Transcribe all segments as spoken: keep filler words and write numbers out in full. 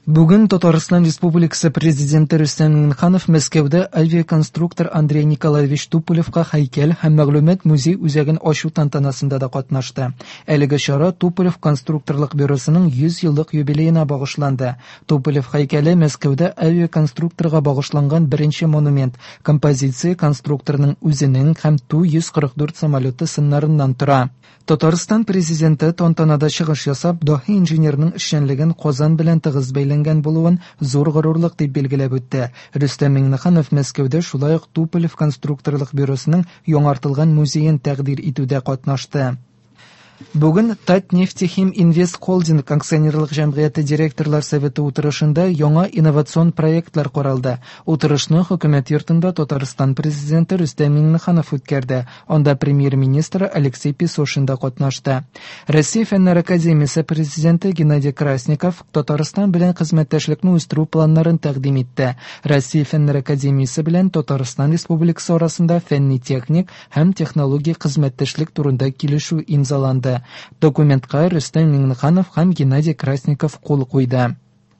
Бүген Татарстан Республикасы Президенты Рөстәм Миңнеханов Мәскәүдә авиаконструктор Андрей Николаевич Туполевка һәйкәл һәм мәгълүмат музей үзәген ачу тантанасында да катнашты. Әлеге чара Туполев конструкторлык бюросының йөз еллык юбилеена багышланды. Туполев һәйкәле Мәскәүдә авиаконструкторга багышланган беренче монумент. Композиция конструкторның үзенең һәм Ту йөз кырык дүрт самолеты сыннарыннан тора. Татарстан Президенты тантанада чыгыш ясап, даһи инженерның эшчәнлеген Казан белән тыгыз бәйләнгән булуын зур горурлык дип билгеләп үтте. Рөстәм Миңнеханов Мәскәүдә шулай ук Туполев конструкторлык бюросының яңартылган музеен тәкъдир итүдә катнашты. Бүген Татнефтехим Инвест Холдинг акционерлык җәмгыяте директорлар советы утырышында яңа инновацион проектлар каралды. Утырышны хөкүмәт йортында Татарстан Президенты Рөстәм Миңнеханов үткәрде. Анда премьер-министр Алексей Песошин да катнашты. Россия Фәннәр академиясе президенты Геннадий Красников Татарстан белән хезмәттәшлекне үстерү планнарын тәкъдим итте. Россия Фәннәр академиясе белән Татарстан Республикасы арасында фәнни-техник һәм технологик хезмәттәшлек турында килешү имзаланды. Документка Рөстәм Миңнеханов һәм Геннадий Красников кул куйды.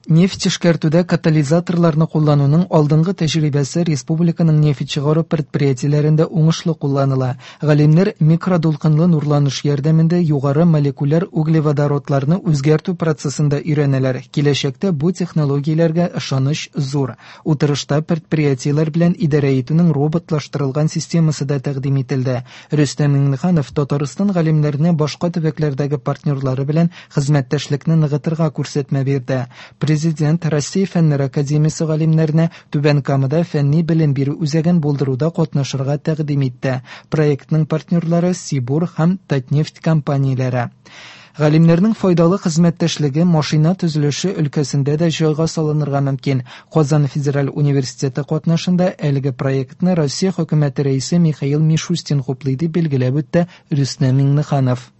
Нефть эшкәртүдә катализаторларны куллануның алдынгы тәҗрибәсе республиканың нефть чыгару предприятиеләрендә уңышлы кулланыла. Галимнәр микродулкынлы нурланыш ярдәмендә югары молекуляр углеводородларны үзгәртү процессында өйрәнәләр. Киләчәктә бу технологияләргә ышаныч зур. Утырышта предприятиеләр белән идарә итүнең роботлаштырылган системасы да тәкъдим ителде. Рөстәм Миңнеханов Татарстан галимнәренә башка төбәкләрдәге партнерлары белән хезмәттәшлекне ныгытырга күрсәтмә бирде. Президент Россия Фәннәр академиясе галимнәренә Түбән Камада фәнни белем бирү үзәген булдыруда катнашырга тәкъдим итте. Проектның партнерлары Сибур һәм Татнефть компанияләре. Галимнәрнең файдалы хезмәттәшлеге машина төзелеше өлкәсендә дә җайга салынырга мөмкин. Казан Федераль университеты катнашында әлеге проектны Россия хөкүмәте рәисе Михаил Мишустин хуплый дип билгеләп үтте Рөстәм Миңнеханов.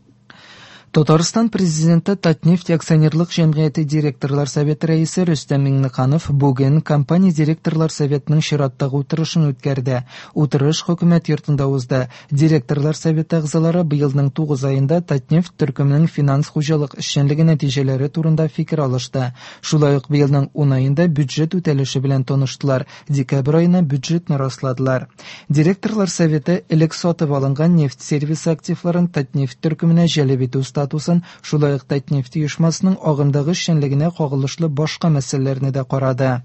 Татарстан Президенты Татнефть акционерлык җәмгыяте директорлар советы рәисе Рөстәм Миңнеханов бүген компания директорлар советының чираттагы утырышын үткәрде. Утырыш хөкүмәт йортында узды. Директорлар советы әгъзалары быелның тугыз аенда Татнефть төркеменең финанс хуҗалык эшчәнлеге нәтиҗәләре турында фикер алышты. Шулай ук быелның ун аенда бюджет үтәлеше белән таныштылар. Декабрь аена бюджетны расладылар. Директорлар советы элек сатып алынган нефть сервисы активларын Татнефть төркеменә җәлеп итү статусын, шулай ук Татнефть оешмасының агымдагы эшчәнлегенә кагылышлы башка мәсьәләләрне дә карады.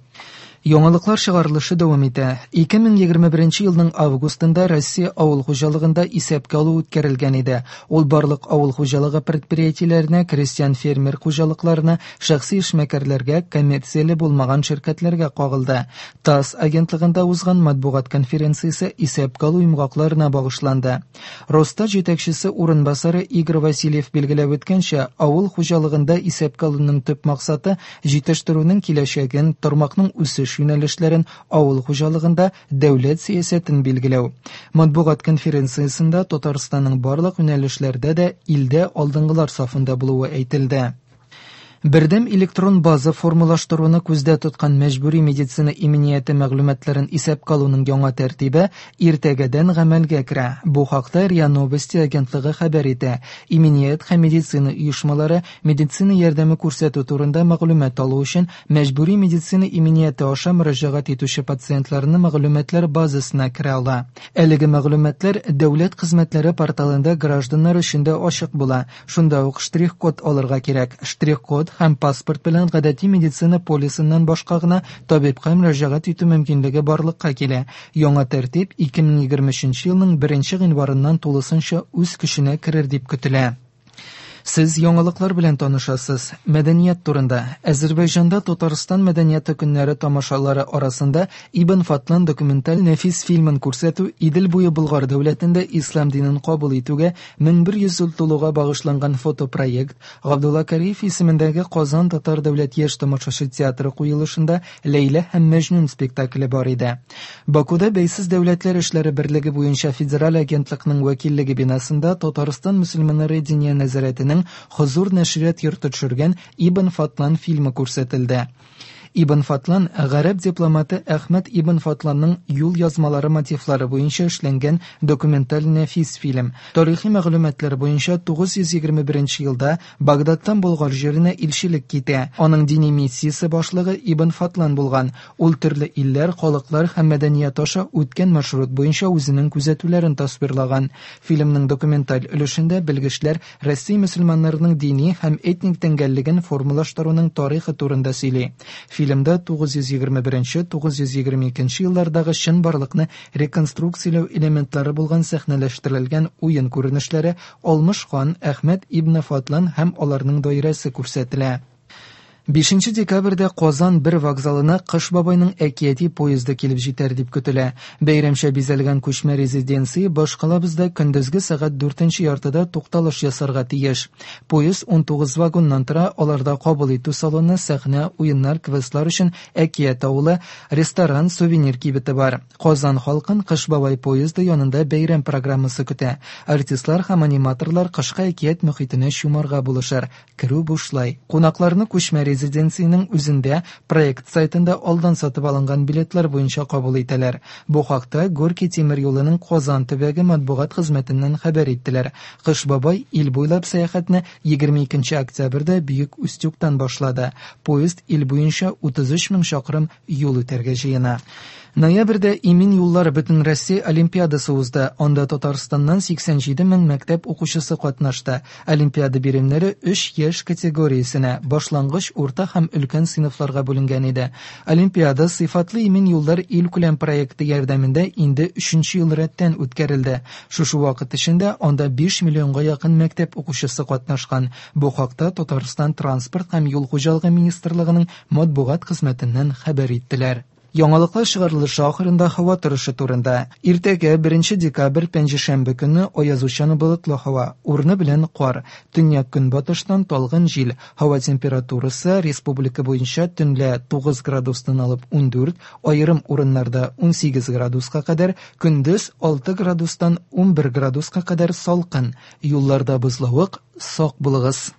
Яңалыклар чыгарылышы дәвам итә. ике мең егерме беренче елның августында Россия авыл хуҗалыгында исәпкә алу үткәрелгән иде. Ул барлык авыл хуҗалыгы предприятиеләренә, крестьян фермер хуҗалыкларына, шәхси эшмәкәрләргә, коммерцияле булмаган ширкәтләргә кагылды. ТАСС агентлыгында узган матбугат конференциясе исәпкә алу йомгакларына багышланды. Росстат җитәкчесе урынбасары Игорь Васильев билгеләп үткәнчә, авыл хуҗалыгында исәпкә алуның төп максаты җитештерүнең киләчәген, тармакның үсеш юнәлешләрен, авыл хуҗалыгында дәүләт сәясәтен билгеләү. Матбугат конференциясендә Татарстанның барлык юнәлешләрдә дә илдә алдынгылар сафында булуы әйтелде. Бердәм электрон база формалаштыруны күздә тоткан мәҗбүри медицина иминияте мәгълүматларын исәпкә алуның яңа тәртибе иртәгәдән гамәлгә керә. Бу хакта РИА Новости агентлыгы хәбәр итә. Иминият һәм медицина оешмалары медицина ярдәме күрсәтү турында мәгълүмат алу өчен мәҗбүри медицина иминияте аша мөрәҗәгать итүче пациентларны мәгълүматлар базасына керә ала. Әлеге мәгълүматлар дәүләт хезмәтләре порталында гражданнар өчен дә ачык була. Шунда ук штрих-код алырга кирәк. Штрих-код һәм паспорт белән гадәти медицина полисыннан башка гына табибка мөрәҗәгать итү мөмкинлеге барлыкка килә. Яңа тәртип ике мең егерме өченче елның беренче гыйнварыннан тулысынча үз көченә керер дип көтелә. Сез яңалыклар белән танышасыз. Мәдәният турында. Әзербайҗанда Татарстан мәдәнияте көннәре тамашалары арасында Ибн Фатлан документаль нәфис фильмын күрсәтү Идел буе Болгар дәүләтендә ислам динен кабул итүгә мең бер йөз ел тулуга багышланган фотопроект, Габдулла Кариев исемендәге Казан Татар дәүләт яшь тамашачы театры куелышында Ләйлә һәм Мәҗнүн спектакле бар иде. Бакуда Бәйсез дәүләтләр эшләре берлеге буенча федераль агентлыкның вәкиллеге бинасында Татарстан мөселманнары диния нәзарәтенең Хозур нәшрият йорты төшергән Ибн Фатлан фильмы күрсәтелде. Ибн Фадлан гарәп дипломаты Әхмәт ибн Фадланның юл язмалары мотивлары буенча эшләнгән документаль нәфис фильм. Тарихи мәгълүматлар буенча тугыз йөз егерме беренче елда Багдадтан Болгар җиренә илчелек китә. Аның дини миссиясе башлыгы Ибн Фадлан булган. Ул төрле илләр, халыклар һәм мәдәният аша үткән маршрут буенча үзенең күзәтүләрен тасвирлаган. Фильмның документаль өлешендә белгечләр Россия мөселманнарының дини һәм этник тәңгәллеген формалаштыруның тарихы турында сөйли. Фильмда тугыз йөз егерме беренче - тугыз йөз егерме икенче еллардагы чынбарлыкны реконструкцияләү элементлары булган сәхнәләштерелгән уен күренешләре, Алмыш хан, Әхмәт ибн Фадлан һәм аларның даирәсе күрсәтелә. Бишенче декабрьдә Казан бер вокзалына Кыш бабайның әкияти поезды килеп җитәр дип көтелә. Бәйрәмчә бизәлгән күчмә резиденция башкалабызда көндезге сәгать дүртенче яртыда тукталыш ясарга тиеш. Поезд ун тугыз вагоннан тора, аларда кабул итү салоны, сәхнә, уеннар, квестлар өчен әкият авылы, ресторан, сувенир кибете бар. Казан халкын Кыш бабай поезды янында бәйрәм программасы көтә. Артистлар һәм аниматорлар кышкы әкият мөхитенә чумарга булышыр. Керү бушлай. Кунакларны күчмә резиденциянең үзендә проект сайтында алдан сатып алынган билетлар буенча кабул итәләр. Бу хакта Горький тимер юлының Казан төбәге матбугат хезмәтеннән хәбәр иттеләр. Кыш бабай ил буйлап сәяхәтне егерме икенче октябрьдә Бөек Устюгтан башлады. Поезд ил буенча утыз өч мең чакрым юл үтәргә җыена. Ноябрьдә Имин юллар бөтен Россия олимпиадасы узды. Анда Татарстаннан сиксән җиде мең мәктәп укучысы катнашты. Олимпиада биремнәре өч яшь категориясенә, башлангыч, урта һәм өлкән сыйныфларга бүленгән иде. Олимпиада сыйфатлы имин юллар илкүләм проекты ярдәмендә инде өченче ел рәттән үткәрелде. Шушы вакыт эчендә анда биш миллионга якын мәктәп укучысы катнашкан. Бу хакта Татарстан транспорт һәм юл хуҗалыгы министрлыгының матбугат хезмәтеннән хәбәр иттеләр. Яңалыклар чыгарылышы ахырында һава торышы турында. Иртәгә беренче декабрь пәнҗешәмбе көнне аязучан болытлы һава, урыны белән кар, төньяк көнбатыштан талгын җил. Һава температурасы республика буенча төнлә тугыз градустан алып ундүрт, аерым урыннарда унсигез градуска кадәр, көндез алты градустан унбер градуска кадәр салкын. Юлларда бозлавык, сак булыгыз.